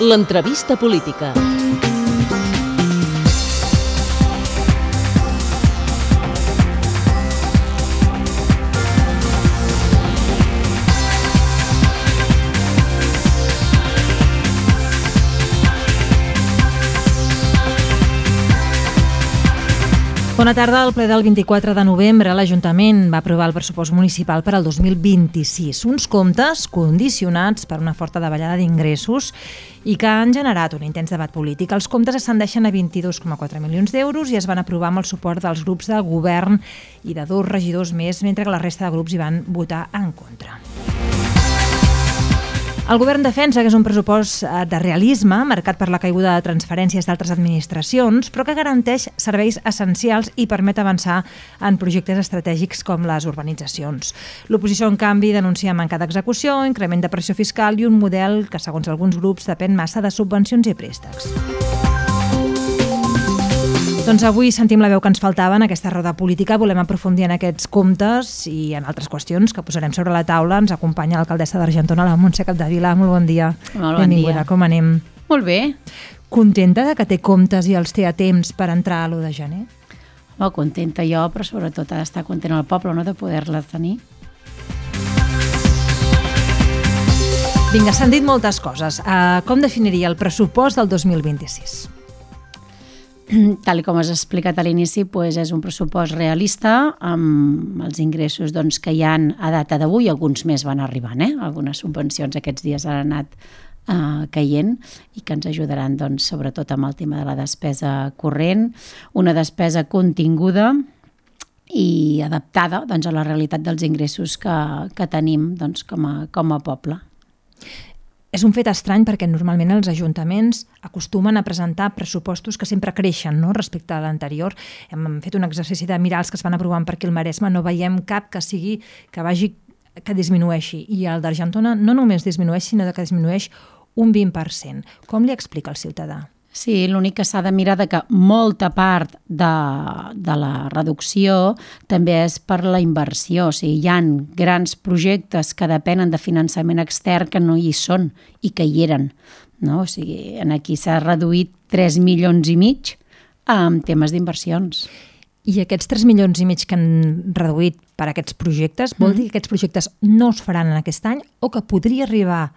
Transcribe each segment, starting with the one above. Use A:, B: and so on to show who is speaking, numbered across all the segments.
A: L'entrevista política.
B: Bona tarda. Al ple del 24 de novembre, l'Ajuntament va aprovar el pressupost municipal per al 2026. Uns comptes condicionats per una forta davallada d'ingressos i que han generat un intens debat polític. Els comptes ascendeixen a 22,4 milions d'euros i es van aprovar amb el suport dels grups de govern i de 2 regidors més, mentre que la resta de grups hi van votar en contra. El govern defensa que és un pressupost de realisme, marcat per la caiguda de transferències d'altres administracions, però que garanteix serveis essencials i permet avançar en projectes estratègics com les urbanitzacions. L'oposició, en canvi, denuncia manca d'execució, increment de pressió fiscal i un model que, segons alguns grups, depèn massa de subvencions i préstecs. Doncs avui sentim la veu que ens faltava en aquesta roda política. Volem aprofundir en aquests comptes i en altres qüestions que posarem sobre la taula. Ens acompanya l'alcaldessa d'Argentona, la Montse Capdevila. Molt bon dia.
C: Molt bon dia.
B: Com anem?
C: Molt bé.
B: Contenta de que té comptes i els té a temps per entrar a l'1 de gener?
C: Molt contenta jo, però sobretot ha d'estar content el poble, no?, de poder-la tenir.
B: Vinga, s'han dit moltes coses. Com definiria el pressupost del 2026?
C: Tal com has explicat a l'inici, és un pressupost realista amb els ingressos que hi ha a data d'avui. Alguns més van arribant, algunes subvencions aquests dies han anat caient i que ens ajudaran sobretot amb el tema de la despesa corrent, una despesa continguda i adaptada a la realitat dels ingressos que tenim com a poble.
B: És un fet estrany perquè normalment els ajuntaments acostumen a presentar pressupostos que sempre creixen, no?, respecte a l'anterior. Hem fet un exercici de mirar els que es van aprovant per aquí al Maresme, no veiem cap que disminueixi. I el d'Argentona no només disminueix, sinó que disminueix un 20%. Com li explica el ciutadà?
C: Sí, l'únic que s'ha de mirar que molta part de la reducció també és per la inversió. O sigui, hi ha grans projectes que depenen de finançament extern que no hi són i que hi eren, no? O sigui, aquí s'ha reduït 3,5 milions en temes d'inversions.
B: I aquests 3,5 milions que han reduït per aquests projectes, vol dir que aquests projectes no es faran en aquest any o que podria arribar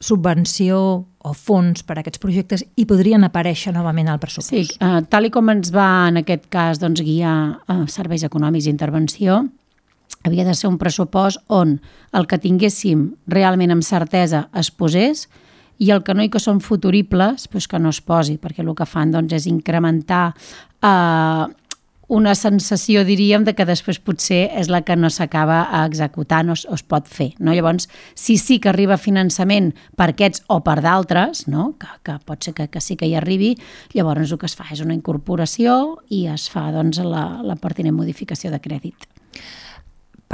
B: subvenció o fons per a aquests projectes i podrien aparèixer novament al pressupost?
C: Sí, tal com ens va en aquest cas guiar serveis econòmics d'intervenció, havia de ser un pressupost on el que tinguéssim realment amb certesa es posés i el que no i que són futuribles que no es posi, perquè el que fan és incrementar una sensació, diríem, de que després potser és la que no s'acaba executant o es pot fer, no? Llavors, si sí que arriba finançament per aquests o per d'altres, no?, que pot ser que sí que hi arribi, llavors el que es fa és una incorporació i es fa la pertinent modificació de crèdit.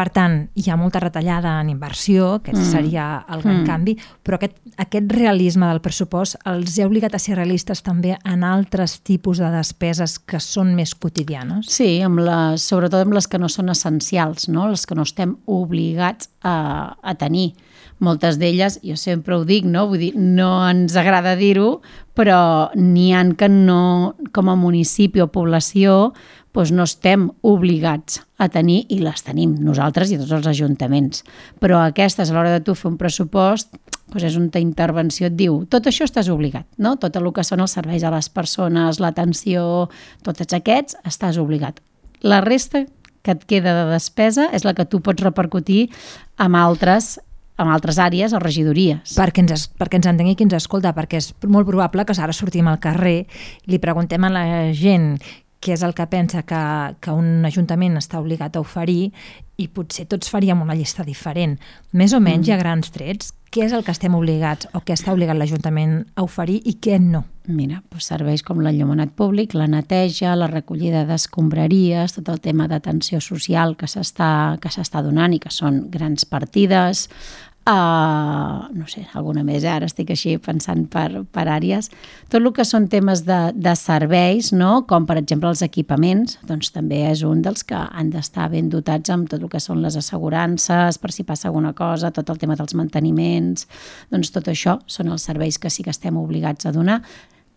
B: Per tant, hi ha molta retallada en inversió, que seria el gran canvi, però aquest realisme del pressupost els ha obligat a ser realistes també en altres tipus de despeses que són més quotidianes?
C: Sí, sobretot amb les que no són essencials, no? Les que no estem obligats a tenir. Moltes d'elles, jo sempre ho dic, no? Vull dir, no ens agrada dir-ho, però n'hi ha que no, com a municipi o població, no estem obligats a tenir i les tenim nosaltres i tots els ajuntaments. Però aquestes, a l'hora de tu fer un pressupost, és una intervenció, et diu, tot això estàs obligat, no? Tot el que són els serveis a les persones, l'atenció, tots aquests, estàs obligat. La resta que et queda de despesa és la que tu pots repercutir amb altres àrees o regidories.
B: Perquè ens entengui qui ens escolta, perquè és molt probable que ara sortim al carrer i li preguntem a la gent què és el que pensa que un ajuntament està obligat a oferir i potser tots faríem una llista diferent. Més o menys, a grans trets, què és el que estem obligats o què està obligat l'Ajuntament a oferir i què no?
C: Mira, serveis com l'enllumenat públic, la neteja, la recollida d'escombraries, tot el tema d'atenció social que s'està donant i que són grans partides, no sé, alguna més, ara estic així pensant per àrees. Tot el que són temes de serveis, no? Com per exemple els equipaments, doncs també és un dels que han d'estar ben dotats amb tot el que són les assegurances, per si passa alguna cosa, tot el tema dels manteniments, doncs tot això són els serveis que sí que estem obligats a donar.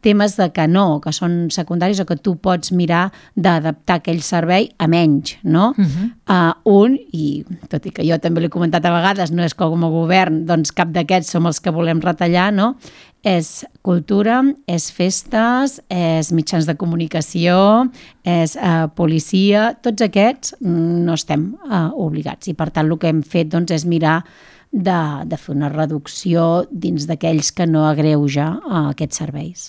C: Temes de que no, que són secundaris o que tu pots mirar d'adaptar aquell servei a menys, no? I tot i que jo també l'he comentat a vegades, no és com a govern, doncs cap d'aquests som els que volem retallar, no? És cultura, és festes, és mitjans de comunicació, és policia, tots aquests no estem obligats i per tant el que hem fet doncs, és mirar de fer una reducció dins d'aquells que no agreuja aquests serveis.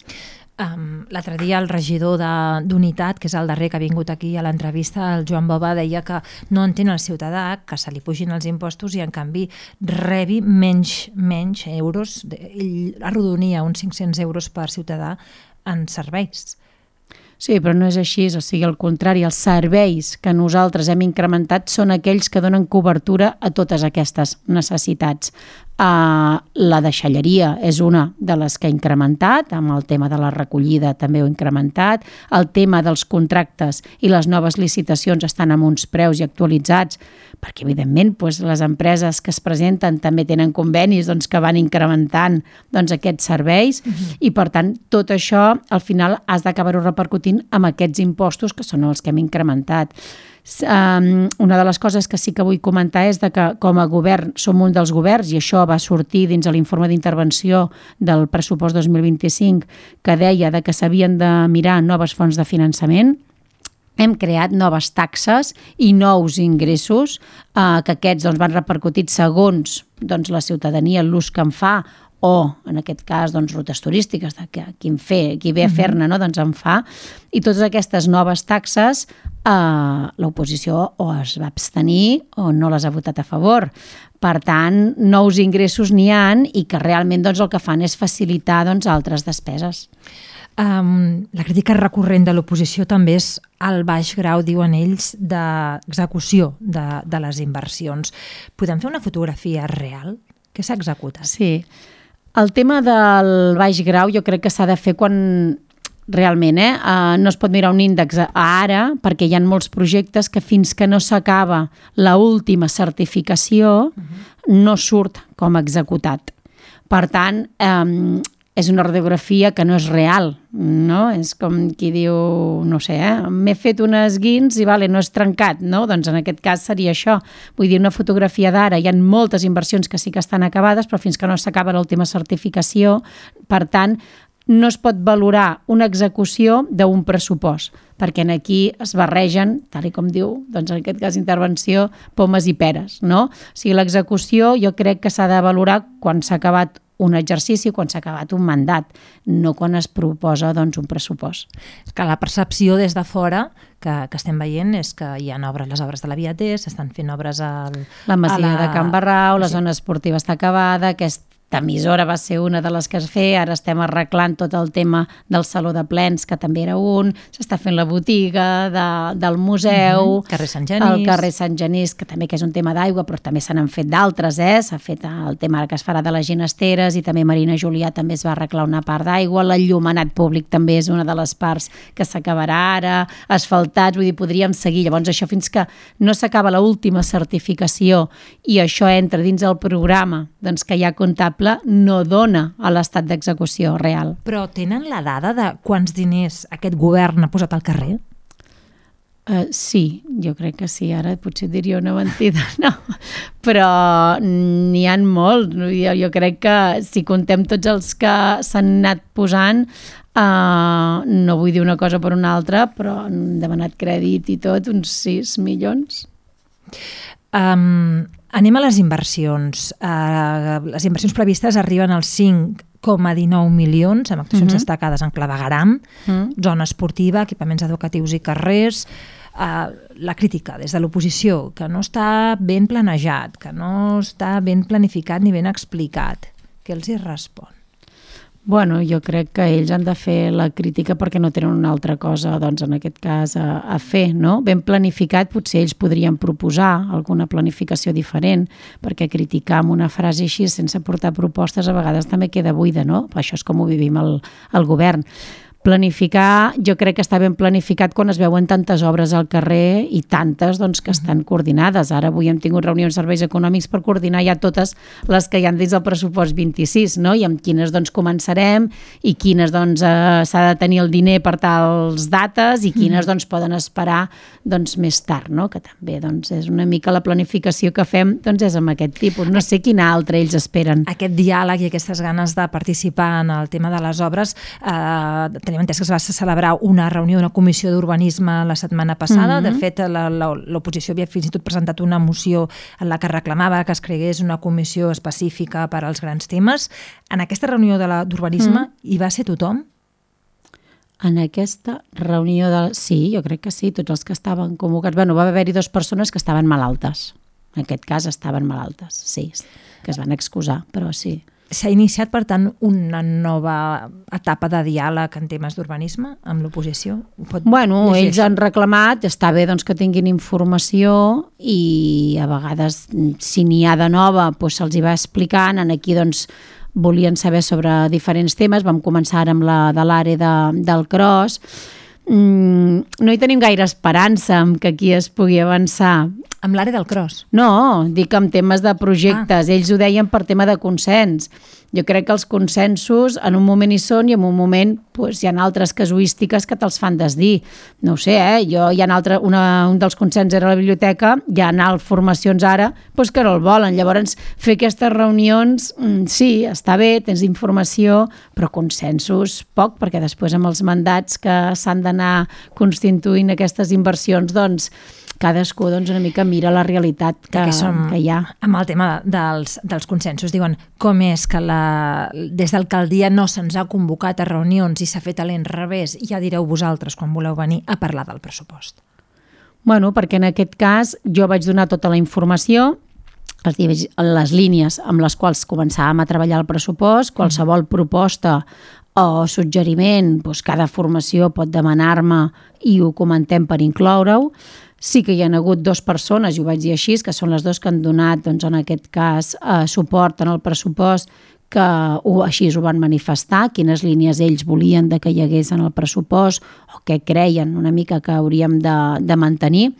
B: L'altre dia el regidor d'Unitat, que és el darrer que ha vingut aquí a l'entrevista, el Joan Bova, deia que no entén el ciutadà que se li pugin els impostos i en canvi rebi menys euros. Ell arrodonia uns 500 euros per ciutadà en serveis.
C: Sí, però no és així, o sigui, al contrari, els serveis que nosaltres hem incrementat són aquells que donen cobertura a totes aquestes necessitats. La deixalleria és una de les que he incrementat, amb el tema de la recollida també ho he incrementat, el tema dels contractes i les noves licitacions estan amb uns preus i actualitzats, perquè evidentment les empreses que es presenten també tenen convenis que van incrementant aquests serveis i per tant tot això al final has d'acabar-ho repercutint amb aquests impostos que són els que hem incrementat. Una de les coses que sí que vull comentar és que com a govern som un dels governs i això va sortir dins de l'informe d'intervenció del pressupost 2025 que deia que s'havien de mirar noves fonts de finançament. Hem creat noves taxes i nous ingressos que aquests van repercutits segons la ciutadania, l'ús que en fa o, en aquest cas, rutes turístiques, qui ve a fer-ne, en fa. I totes aquestes noves taxes, l'oposició o es va abstenir o no les ha votat a favor. Per tant, nous ingressos n'hi ha i que realment el que fan és facilitar altres despeses.
B: La crítica recurrent de l'oposició també és el baix grau, diuen ells, d'execució de les inversions. Podem fer una fotografia real? Què s'ha executat?
C: Sí. El tema del baix grau jo crec que s'ha de fer quan realment no es pot mirar un índex ara perquè hi ha molts projectes que fins que no s'acaba l'última certificació no surt com executat. Per tant, és una radiografia que no és real, no? És com qui diu, no sé, m'he fet unes guins i no és trencat, no? Doncs en aquest cas seria això. Vull dir, una fotografia d'ara, hi ha moltes inversions que sí que estan acabades, però fins que no s'acaba l'última certificació, per tant, no es pot valorar una execució d'un pressupost, perquè aquí es barregen, tal com diu, en aquest cas intervenció, pomes i peres, no? O sigui, l'execució jo crec que s'ha de valorar quan s'ha acabat un exercici, quan s'ha acabat un mandat, no quan es proposa un pressupost.
B: Que la percepció des de fora que estem veient és que hi ha obres, les obres de la Via T, s'estan fent obres
C: la masia de Can Barrau, la zona esportiva està acabada, aquesta emissora va ser una de les que es feia, ara estem arreglant tot el tema del saló de plens, que també era un, s'està fent la botiga del museu,
B: carrer Sant Genís.
C: El carrer Sant Genís, que també que és un tema d'aigua, però també se n'han fet d'altres, s'ha fet el tema que es farà de les ginesteres i també Marina Julià també es va arreglar una part d'aigua, l'enllumenat públic també és una de les parts que s'acabarà ara, asfaltats, vull dir, podríem seguir. Llavors això fins que no s'acaba l'última certificació i això entra dins el programa que hi ha comptable, no dona a l'estat d'execució real.
B: Però tenen la dada de quants diners aquest govern ha posat al carrer?
C: Sí, jo crec que sí. Ara potser diria una mentida, no. Però n'hi ha molt. Jo crec que si contem tots els que s'han anat posant, no vull dir una cosa per una altra, però han demanat crèdit i tot, uns 6 milions.
B: Anem a les inversions. Les inversions previstes arriben als 5,19 milions, amb actuacions destacades en clavegueram, zona esportiva, equipaments educatius i carrers. La crítica des de l'oposició, que no està ben planejat, que no està ben planificat ni ben explicat. Què els hi respon?
C: Bueno, jo crec que ells han de fer la crítica perquè no tenen una altra cosa, doncs, en aquest cas, a fer, no? Ben planificat, potser ells podrien proposar alguna planificació diferent, perquè criticar amb una frase així sense portar propostes a vegades també queda buida, no? Això és com ho vivim al govern. Planificar, jo crec que està ben planificat quan es veuen tantes obres al carrer i tantes doncs, que estan coordinades. Ara avui hem tingut reunions de serveis econòmics per coordinar ja totes les que hi han dins del pressupost 26, no? I amb quines doncs, començarem i quines doncs, s'ha de tenir el diner per tals dates i quines doncs, poden esperar doncs, més tard, no? Que també doncs, és una mica la planificació que fem doncs, és amb aquest tipus. No sé quina altra ells esperen.
B: Aquest diàleg i aquestes ganes de participar en el tema de les obres tenim entès que es va celebrar una reunió d'una comissió d'urbanisme la setmana passada. De fet, l'oposició havia fins i tot presentat una moció en la que reclamava que es cregués una comissió específica per als grans temes. En aquesta reunió d'urbanisme hi va ser tothom?
C: En aquesta reunió sí, jo crec que sí, tots els que estaven convocats. Bueno, va haver-hi 2 persones que estaven malaltes. En aquest cas estaven malaltes, sí, que es van excusar, però sí.
B: S'ha iniciat, per tant, una nova etapa de diàleg en temes d'urbanisme amb l'oposició?
C: Bueno, ells han reclamat, està bé doncs, que tinguin informació i a vegades, si n'hi ha de nova, doncs, se'ls hi va explicant. Aquí doncs, volien saber sobre diferents temes. Vam començar ara amb la de l'àrea del Cros. No hi tenim gaire esperança en que aquí es pugui avançar.
B: Amb l'àrea del Cros?
C: No, dic amb temes de projectes. Ells ho deien per tema de consens. Jo crec que els consensos en un moment hi són i en un moment hi ha altres casuístiques que te'ls fan desdir. No ho sé, un dels consens era la biblioteca, hi ha formacions ara que no el volen. Llavors, fer aquestes reunions, sí, està bé, tens informació, però consensos poc, perquè després amb els mandats que s'han d'anar constituint aquestes inversions, doncs, cadascú una mica mira la realitat que hi ha.
B: Amb el tema dels consensos, diuen com és que des d'alcaldia no se'ns ha convocat a reunions i s'ha fet a l'enrevés, ja direu vosaltres quan voleu venir a parlar del pressupost.
C: Bueno, perquè en aquest cas jo vaig donar tota la informació, les línies amb les quals començàvem a treballar el pressupost, qualsevol proposta o suggeriment, cada formació pot demanar-me i ho comentem per incloure-ho. Sí que hi ha hagut 2 persones, i ho vaig dir així, que són les 2 que han donat, en aquest cas, suport en el pressupost, que així ho van manifestar, quines línies ells volien que hi hagués en el pressupost o què creien una mica que hauríem de mantenir.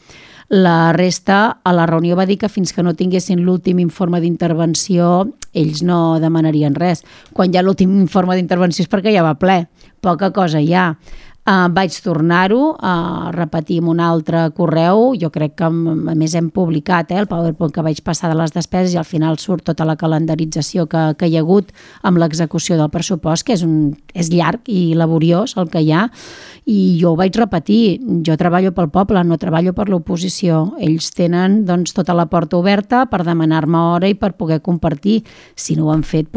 C: La resta, a la reunió va dir que fins que no tinguessin l'últim informe d'intervenció, ells no demanarien res. Quan hi ha l'últim informe d'intervenció és perquè ja va ple, poca cosa hi ha. Vaig tornar-ho a repetir amb un altre correu. Jo crec que a més hem publicat el PowerPoint que vaig passar de les despeses i al final surt tota la calendarització que hi ha hagut amb l'execució del pressupost, que és llarg i laboriós el que hi ha, i jo ho vaig repetir. Jo treballo pel poble, no treballo per l'oposició. Ells tenen tota la porta oberta per demanar-me hora i per poder compartir. Si no ho han fet,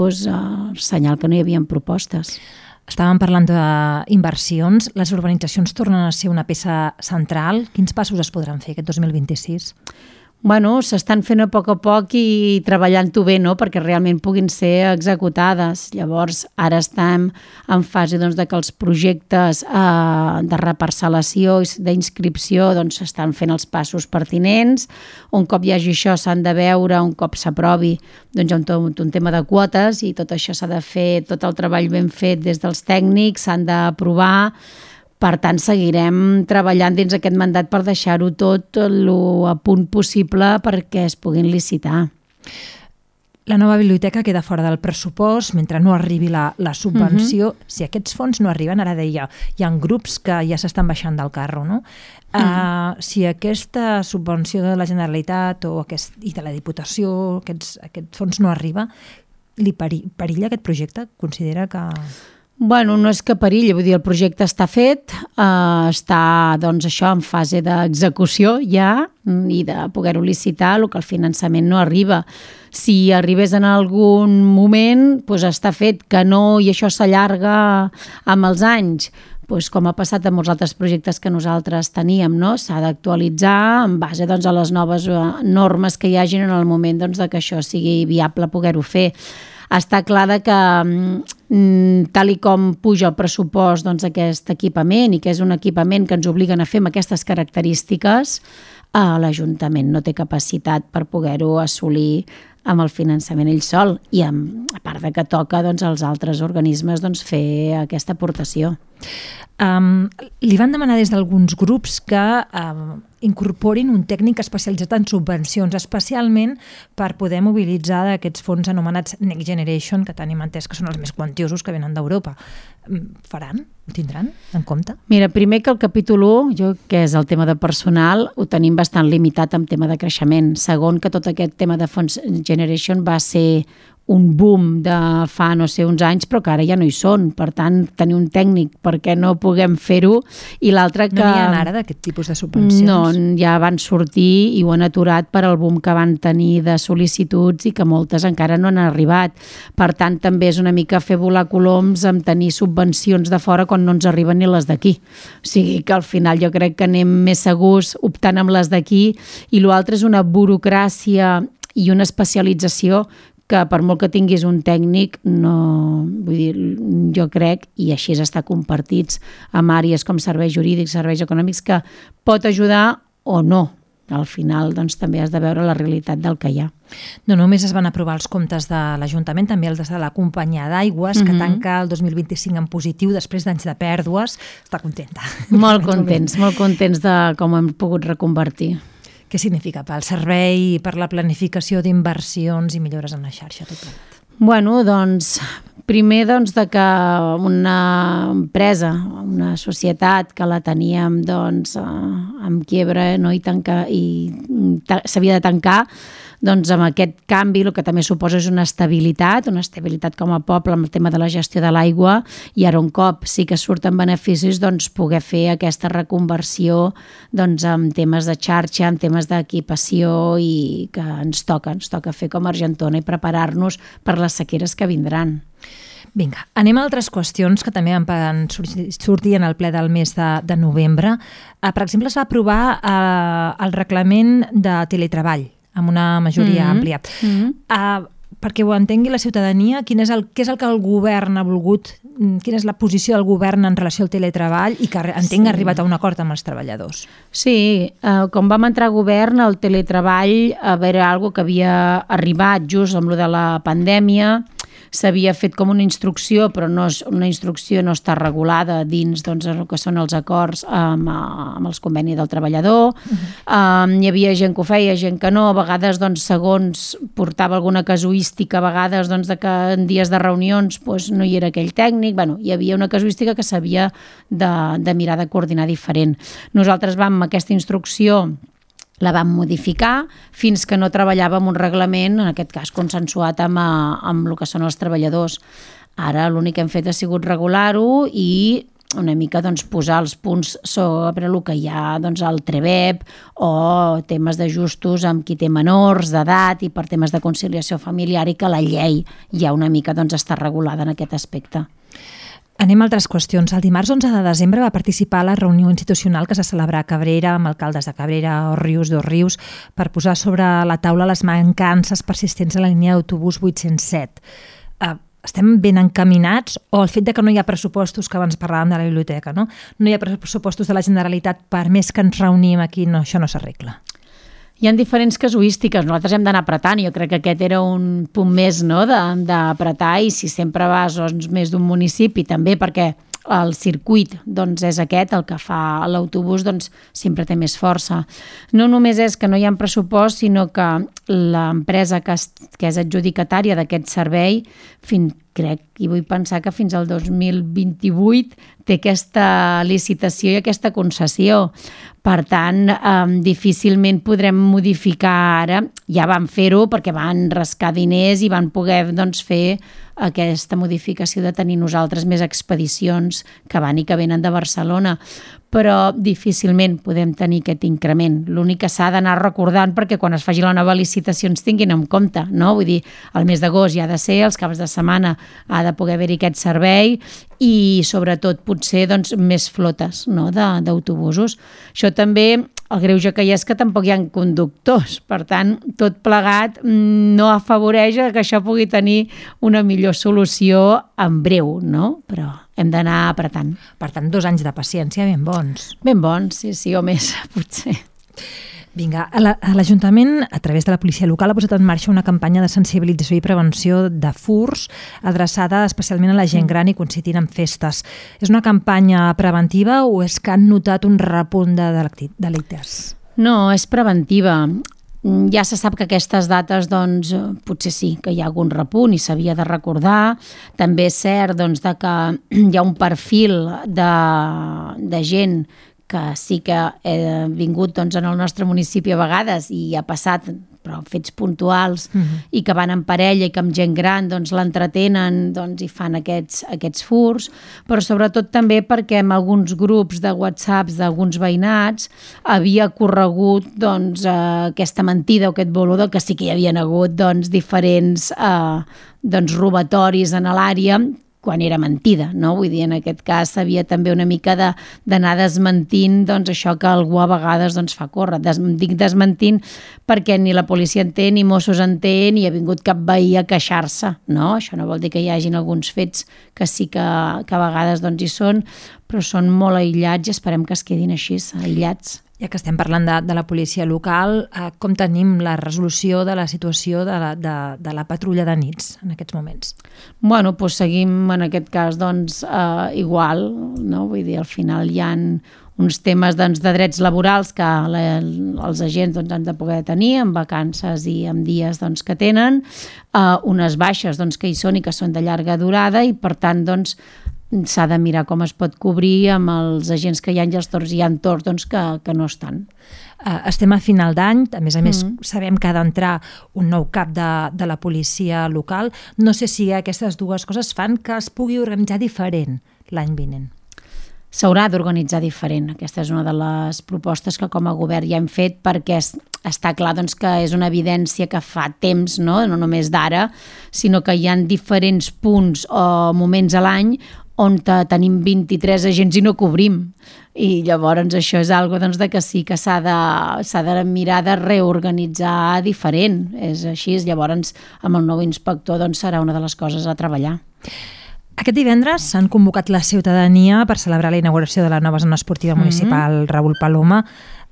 C: senyal que no hi havia propostes.
B: Estàvem parlant d'inversions. Les urbanitzacions tornen a ser una peça central. Quins passos es podran fer aquest 2026?
C: Bueno, s'estan fent a poc i treballant-ho bé, no?, perquè realment puguin ser executades. Llavors, ara estem en fase de que els projectes de reparcel·lació i d'inscripció s'estan fent els passos pertinents. Un cop hi hagi això s'han de veure, un cop s'aprovi, hi ha un tema de quotes i tot això s'ha de fer, tot el treball ben fet des dels tècnics, s'han d'aprovar. Per tant, seguirem treballant dins aquest mandat per deixar-ho tot a punt possible perquè es puguin licitar.
B: La nova biblioteca queda fora del pressupost mentre no arribi la subvenció. Si aquests fons no arriben, ara deia, hi ha grups que ja s'estan baixant del carro, no? Si aquesta subvenció de la Generalitat i de la Diputació, aquest fons no arriba, li perilla aquest projecte? Considera que...
C: Bueno, no és que perilli, vull dir, el projecte està fet, està, això, en fase d'execució ja i de poder-ho licitar, el que el finançament no arriba. Si arribés en algun moment, està fet, que no, i això s'allarga amb els anys, com ha passat amb molts altres projectes que nosaltres teníem, no? S'ha d'actualitzar en base a les noves normes que hi hagin en el moment que això sigui viable poder-ho fer. Està clar que tal i com puja el pressupost d'aquest equipament i que és un equipament que ens obliguen a fer amb aquestes característiques, l'Ajuntament no té capacitat per poder-ho assolir amb el finançament ell sol i a part de que toca als altres organismes fer aquesta aportació.
B: Li van demanar des d'alguns grups que incorporin un tècnic especialitzat en subvencions, especialment per poder mobilitzar aquests fons anomenats Next Generation, que tenim entès que són els més quantiosos que venen d'Europa. Faran? Ho tindran en compte?
C: Mira, primer que el capítol 1, que és el tema de personal, ho tenim bastant limitat amb tema de creixement. Segon, que tot aquest tema de fons Generation va ser un boom de fa no sé uns anys, però que ara ja no hi són. Per tant, tenir un tècnic perquè no puguem fer-ho. I l'altre que...
B: No n'hi ha ara d'aquest tipus de subvencions?
C: No, ja van sortir i ho han aturat per al boom que van tenir de sol·licituds i que moltes encara no han arribat. Per tant, també és una mica fer volar coloms amb tenir subvencions de fora quan no ens arriben ni les d'aquí. O sigui que al final jo crec que anem més segurs optant amb les d'aquí i l'altre és una burocràcia i una especialització que per molt que tinguis un tècnic, no, vull dir, jo crec, i així està compartits amb àrees com serveis jurídics, serveis econòmics, que pot ajudar o no. Al final també has de veure la realitat del que hi ha.
B: No només es van aprovar els comptes de l'Ajuntament, també els de la companyia d'aigües, que tanca el 2025 en positiu després d'anys de pèrdues. Està contenta.
C: Molt contents de com hem pogut reconvertir.
B: Què significa pel servei, per la planificació d'inversions i millores en la xarxa, tot plegat?
C: Bueno, primer de que una empresa, una societat que la teníem amb quiebra i s'havia de tancar, amb aquest canvi el que també suposa és una estabilitat com a poble amb el tema de la gestió de l'aigua i ara un cop sí que surten beneficis poder fer aquesta reconversió en temes de xarxa, en temes d'equipació i que ens toca fer com a Argentona i preparar-nos per les sequeres que vindran.
B: Vinga, anem a altres qüestions que també van sortir en el ple del mes de novembre. Per exemple, es va aprovar el reglament de teletreball amb una majoria àmplia. Perquè ho entengui la ciutadania, què és el que el govern ha volgut, quina és la posició del govern en relació al teletreball i que entenc ha arribat a un acord amb els treballadors.
C: Sí, quan vam entrar a govern, el teletreball era una cosa que havia arribat just amb lo de la pandèmia, s'havia fet com una instrucció, però una instrucció no està regulada dins el que són els acords amb els convenis del treballador. Hi havia gent que ho feia, gent que no, a vegades segons portava alguna casuística, a vegades de que en dies de reunions no hi era aquell tècnic, hi havia una casuística que s'havia de mirar de coordinar diferent. Nosaltres vam amb aquesta instrucció la vam modificar fins que no treballàvem un reglament, en aquest cas consensuat amb el que són els treballadors. Ara l'únic que hem fet ha sigut regular-ho i una mica posar els punts sobre el que hi ha al TREBEP o temes d'ajustos amb qui té menors d'edat i per temes de conciliació familiar i que la llei ja una mica està regulada en aquest aspecte.
B: Anem a altres qüestions. El dimarts 11 de desembre va participar a la reunió institucional que es va celebrar a Cabrera amb alcaldes de Cabrera, Òrrius, Dosrius, per posar sobre la taula les mancances persistents a la línia d'autobús 807. Estem ben encaminats o el fet de que no hi ha pressupostos, que abans parlàvem de la biblioteca, no hi ha pressupostos de la Generalitat, per més que ens reunim aquí, això no s'arregla?
C: Hi ha diferents casuístiques, nosaltres hem d'anar apretant, jo crec que aquest era un punt més d'apretar i si sempre vas més d'un municipi també perquè el circuit és aquest, el que fa l'autobús sempre té més força. No només és que no hi ha pressupost, sinó que l'empresa que és adjudicatària d'aquest servei crec i vull pensar que fins al 2028 té aquesta licitació i aquesta concessió. Per tant, difícilment podrem modificar ara. Ja van fer-ho perquè van rascar diners i van poder fer aquesta modificació de tenir nosaltres més expedicions que van i que venen de Barcelona. Però difícilment podem tenir aquest increment. L'únic que s'ha d'anar recordant perquè quan es faci la nova licitació ens tinguin en compte, no? Vull dir, el mes d'agost ja ha de ser, els caps de setmana ha de poder haver-hi aquest servei i sobretot potser més flotes d'autobusos. Això també el greuge que hi ha és que tampoc hi ha conductors. Per tant, tot plegat no afavoreix que això pugui tenir una millor solució en breu, no? Però hem d'anar apretant.
B: Per tant, 2 anys de paciència ben bons.
C: Ben bons, sí, o més, potser.
B: Vinga, l'Ajuntament, a través de la policia local, ha posat en marxa una campanya de sensibilització i prevenció de furts adreçada especialment a la gent gran i coincidint amb festes. És una campanya preventiva o és que han notat un repunt de delictes?
C: No, és preventiva. Ja se sap que aquestes dates, doncs, potser sí, que hi ha algun repunt i s'havia de recordar. També és cert doncs, que hi ha un perfil de gent que sí que ha vingut doncs, en el nostre municipi a vegades i ha passat, però fets puntuals, i que van en parella i que amb gent gran doncs, l'entretenen doncs, i fan aquests furts, però sobretot també perquè en alguns grups de WhatsApps d'alguns veïnats havia corregut doncs, aquesta mentida o aquest boludor, que sí que hi havien hagut doncs, diferents doncs, robatoris en l'àrea, quan era mentida, no? Vull dir, en aquest cas s'havia també una mica d'anar desmentint doncs, això que algú a vegades doncs, fa córrer. Dic desmentint perquè ni la policia en té, ni Mossos en té, ni ha vingut cap veí a queixar-se, no? Això no vol dir que hi hagin alguns fets que sí que a vegades doncs, hi són, però són molt aïllats i esperem que es quedin així, aïllats.
B: Ja que estem parlant de la policia local, com tenim la resolució de la situació de la patrulla de nits en aquests moments?
C: Bueno, doncs seguim en aquest cas doncs, igual, no? Vull dir, al final hi ha uns temes doncs, de drets laborals que els agents doncs, han de poder tenir amb vacances i amb dies doncs, que tenen, unes baixes doncs, que hi són i que són de llarga durada i per tant doncs, s'ha de mirar com es pot cobrir amb els agents que hi ha i els torns hi ha torns doncs, que no estan.
B: Estem a final d'any, a més sabem que ha d'entrar un nou cap de la policia local. No sé si aquestes dues coses fan que es pugui organitzar diferent l'any vinent.
C: S'haurà d'organitzar diferent. Aquesta és una de les propostes que com a govern ja hem fet perquè està clar doncs, que és una evidència que fa temps, no només d'ara, sinó que hi ha diferents punts o moments a l'any on tenim 23 agents i no cobrim. I llavors això és algo doncs, de que sí que s'ha de mirar de reorganitzar diferent. És així, llavors amb el nou inspector doncs, serà una de les coses a treballar.
B: Aquest divendres s'han convocat la ciutadania per celebrar la inauguració de la nova zona esportiva municipal Raül Paloma.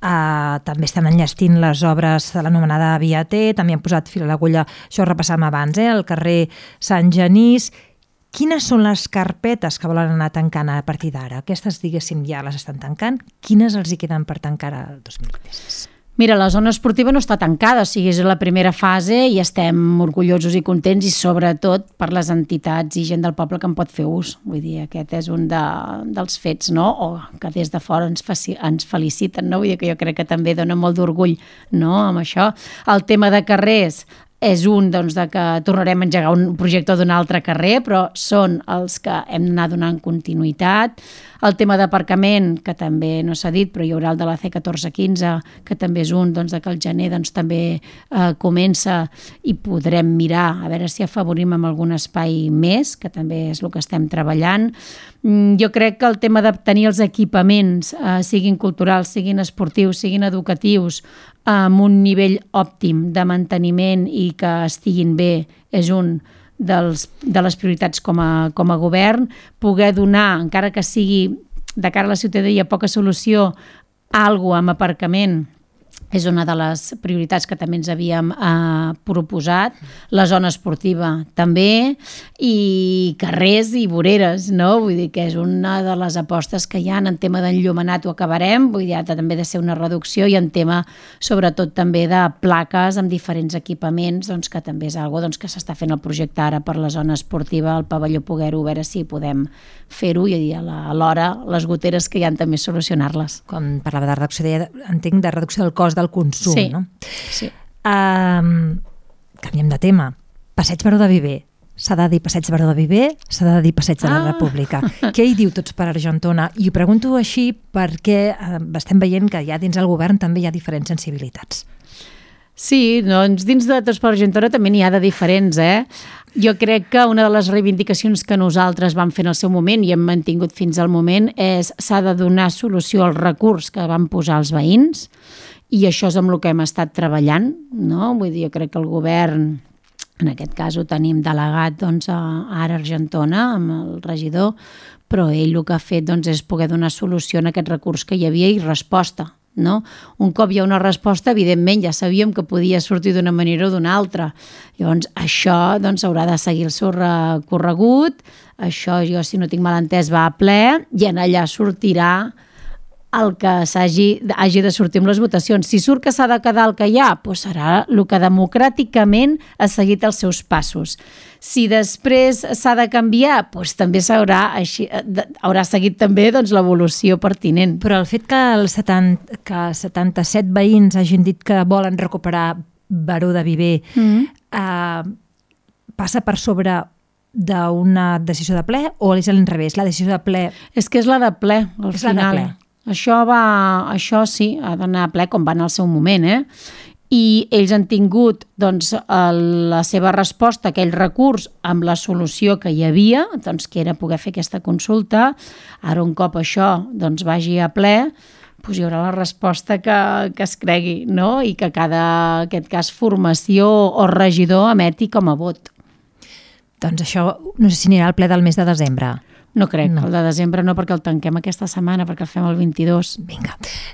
B: També estan enllestint les obres de l'anomenada Via T, també han posat fil a l'agulla, això ho repassàvem abans, al carrer Sant Genís. Quines són les carpetes que volen anar tancant a partir d'ara? Aquestes, diguéssim, ja les estan tancant. Quines els hi queden per tancar el 2026?
C: Mira, la zona esportiva no està tancada, o sigui, és la primera fase i estem orgullosos i contents i sobretot per les entitats i gent del poble que en pot fer ús. Vull dir, aquest és un dels fets, no? O que des de fora ens feliciten, no? Vull dir que jo crec que també dona molt d'orgull, no?, amb això. El tema de carrers és un doncs, de que tornarem a engegar un projecte d'un altre carrer, però són els que hem d'anar donant continuïtat. El tema d'aparcament, que també no s'ha dit, però hi haurà el de la C1415, que també és un, doncs, que el gener doncs, també comença i podrem mirar a veure si afavorim amb algun espai més, que també és el que estem treballant. Jo crec que el tema de tenir els equipaments, siguin culturals, siguin esportius, siguin educatius, amb un nivell òptim de manteniment i que estiguin bé, és un de les prioritats com a govern. Poder donar, encara que sigui de cara a la ciutadania poca solució, alguna amb aparcament, és una de les prioritats que també ens havíem proposat. La zona esportiva també, i carrers i voreres, no? Vull dir que és una de les apostes que hi ha en tema d'enllumenat ho acabarem, vull dir, ha també de ser una reducció, i en tema sobretot també de plaques amb diferents equipaments, doncs, que també és algo doncs, que s'està fent el projecte ara per la zona esportiva, el pavelló Poguero, a veure si podem fer-ho i alhora les goteres que hi ha també solucionar-les.
B: Quan parlava de reducció, entenc de reducció del cost del consum,
C: sí,
B: no?
C: Sí.
B: Canviem de tema. Passeig Baró de Viver. S'ha de dir Passeig Baró de Viver, s'ha de dir Passeig de la República. Què hi diu Tots per Argentona? I ho pregunto així perquè estem veient que ja dins el govern també hi ha diferents sensibilitats.
C: Sí, doncs dins de Tots per Argentona també n'hi ha de diferents, Jo crec que una de les reivindicacions que nosaltres vam fer en el seu moment i hem mantingut fins al moment és s'ha de donar solució al recurs que van posar els veïns i això és amb el que hem estat treballant, no? Vull dir, jo crec que el govern, en aquest cas ho tenim delegat doncs, a Ara Argentona, amb el regidor, però ell el que ha fet doncs, és poder donar solució a aquest recurs que hi havia i resposta. No? Un cop hi ha una resposta, evidentment ja sabíem que podia sortir d'una manera o d'una altra. Llavors, això doncs, haurà de seguir el seu recorregut, això jo, si no tinc mal entès, va a ple i en allà sortirà el que hagi de sortir amb les votacions. Si surt que s'ha de quedar el que hi ha, doncs serà el que democràticament ha seguit els seus passos. Si després s'ha de canviar, doncs també haurà seguit també doncs, l'evolució pertinent.
B: Però el fet que 77 veïns hagin dit que volen recuperar Baró de Viver passa per sobre d'una decisió de ple o és a l'inrevés? La decisió de ple...
C: És que és la de ple, al final.
B: La de ple.
C: Això sí, ha d'anar a ple com va en el seu moment, i ells han tingut doncs, la seva resposta a aquell recurs amb la solució que hi havia, doncs, que era poder fer aquesta consulta. Ara un cop això doncs, vagi a ple, doncs hi haurà la resposta que es cregui, no? I que cada, en aquest cas, formació o regidor emeti com a vot.
B: Doncs això no sé si anirà al ple del mes de desembre.
C: No crec, el de desembre no, perquè el tanquem aquesta setmana, perquè el fem el 22.
B: Vinga,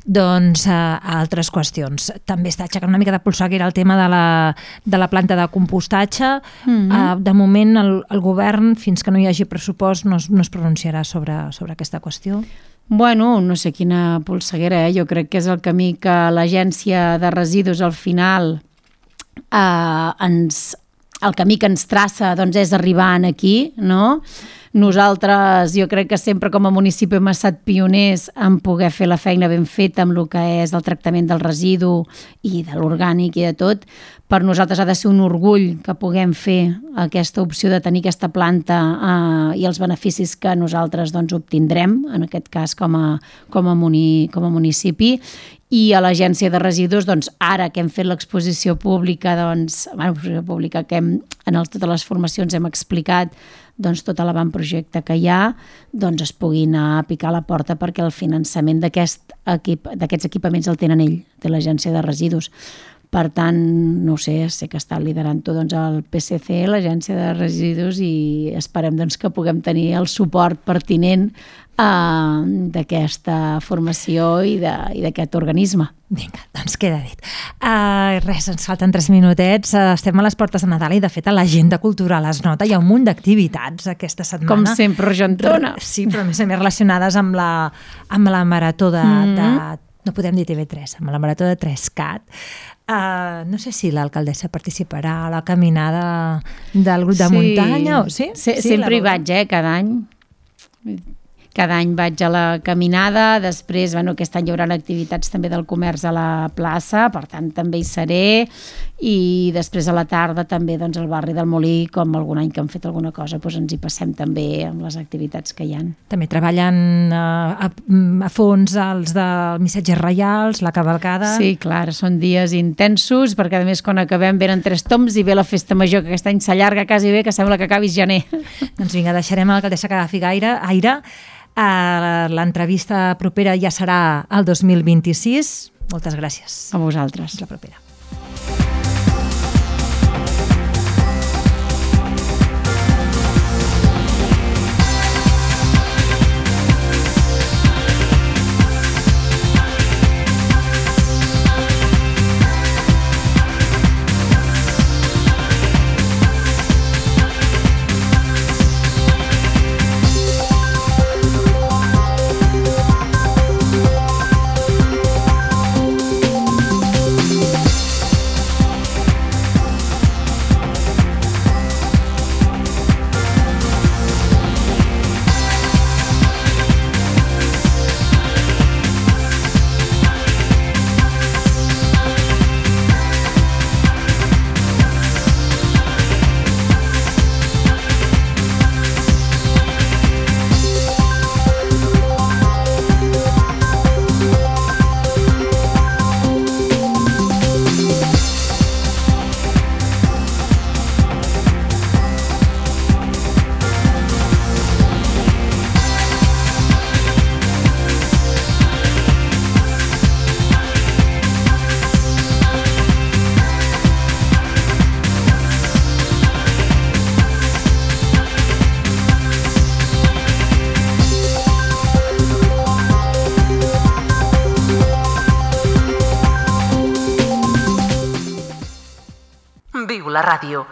B: doncs altres qüestions. També està aixecant una mica de polseguera el tema de la planta de compostatge. De moment el govern, fins que no hi hagi pressupost, no es pronunciarà sobre aquesta qüestió.
C: Bueno, no sé quina polseguera, jo crec que és el camí que l'Agència de Residus al final el camí que ens traça doncs, és arribar aquí, no? Nosaltres, jo crec que sempre com a municipi hem estat pioners en poder fer la feina ben feta amb el que és el tractament del residu i de l'orgànic i de tot. Per nosaltres ha de ser un orgull que puguem fer aquesta opció de tenir aquesta planta i els beneficis que nosaltres doncs, obtindrem, en aquest cas com a municipi. I a l'Agència de Residus, doncs, ara que hem fet l'exposició pública, que en totes les formacions hem explicat doncs, tot l'avantprojecte que hi ha, doncs es pugui anar a picar a la porta perquè el finançament d'aquests equipaments el tenen ell, té l'Agència de Residus. Per tant, no sé que està liderant-ho doncs, el PSC, l'Agència de Residus, i esperem doncs, que puguem tenir el suport pertinent d'aquesta formació i d'aquest organisme.
B: Vinga, doncs queda dit. Res, ens falten 3 minutets. Estem a les portes de Nadal i, de fet, a l'agenda cultural es nota. Hi ha un munt d'activitats aquesta setmana.
C: Com sempre, Argentona.
B: Sí, però a més relacionades amb la marató de... No podem dir TV3, amb la marató de 3CAT. No sé si l'alcaldessa participarà a la caminada del grup de muntanya. Sí?
C: Sempre hi vaig, cada any. Cada any vaig a la caminada, després, aquest any hi haurà activitats també del comerç a la plaça, per tant també hi seré, i després a la tarda també doncs, al barri del Molí, com algun any que han fet alguna cosa, doncs ens hi passem també amb les activitats que hi ha.
B: També treballen a fons els de missatges reials, la cavalcada...
C: Sí, clar, són dies intensos, perquè a més quan acabem venen 3 tombs i ve la festa major, que aquest any s'allarga quasi bé, que sembla que acabi gener.
B: Doncs vinga, deixarem a l'alcaldessa que agafi aire. L'entrevista propera ja serà el 2026. Moltes gràcies.
C: A vosaltres.
B: La propera.
A: Viu la ràdio.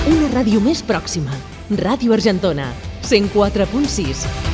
D: Una ràdio més pròxima. Ràdio Argentona, 104.6.